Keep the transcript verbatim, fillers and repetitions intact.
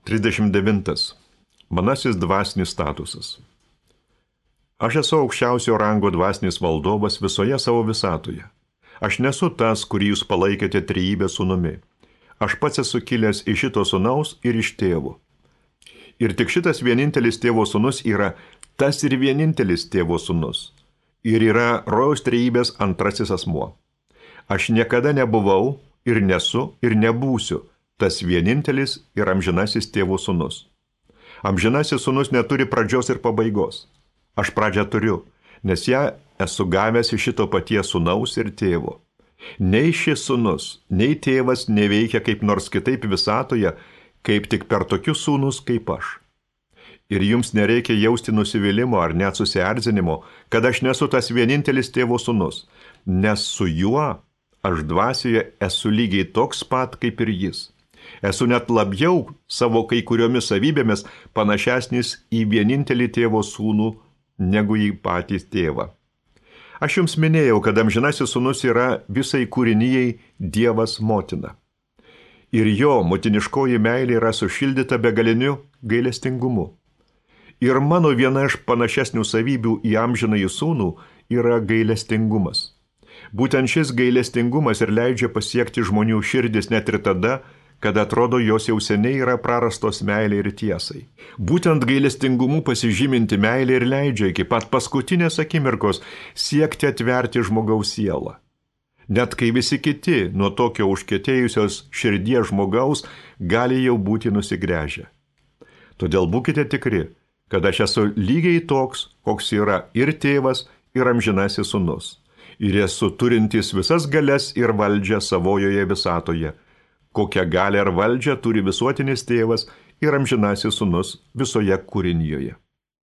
trisdešimt devintas. Manasis dvasinis statusas. Aš esu aukščiausio rango dvasinis valdovas visoje savo visatoje. Aš nesu tas, kurį jūs palaikėte trejybės sūnumi. Aš pats esu kilęs iš šito sūnaus ir iš tėvo. Ir tik šitas vienintelis tėvo sūnus yra tas ir vienintelis tėvo sūnus. Ir yra rojaus trejybės antrasis asmuo. Aš niekada nebuvau ir nesu ir nebūsiu tas vienintelis ir amžinasis tėvo sūnus. Amžinasis sūnus neturi pradžios ir pabaigos. Aš pradžią turiu, nes ją esu gavęs iš šito paties sūnaus ir tėvo. Nei šis sūnus, nei tėvas neveikia kaip nors kitaip visatoje, kaip tik per tokius sūnus kaip aš. Ir jums nereikia jausti nusivylimo ar net susierzinimo, kad aš nesu tas vienintelis tėvo sūnus, nes su juo aš dvasioje esu lygiai toks pat kaip ir jis. Esu net labiau savo kai kuriomis savybėmis panašesnis į vienintelį tėvo sūnų negu į patį tėvą. Aš jums minėjau, kad amžinasis sūnus yra visai kūrinijai Dievas motina. Ir jo motiniškoji meilė yra sušildyta begaliniu gailestingumu. Ir mano viena iš panašesnių savybių į amžinąjį sūnų yra gailestingumas. Būtent šis gailestingumas ir leidžia pasiekti žmonių širdis net ir tada, kad atrodo jos jau seniai yra prarastos meilė ir tiesai. Būtent gailestingumu pasižyminti meilė ir leidžia iki pat paskutinės akimirkos siekti atverti žmogaus sielą. Net kai visi kiti nuo tokio užkietėjusios širdies žmogaus gali jau būti nusigręžę. Todėl būkite tikri, kad aš esu lygiai toks, koks yra ir tėvas, ir amžinasis sūnus. Ir esu turintis visas galias ir valdžią savojoje visatoje, kokią galią ir valdžią turi visuotinis tėvas ir amžinasis sūnus visoje kūrinijoje.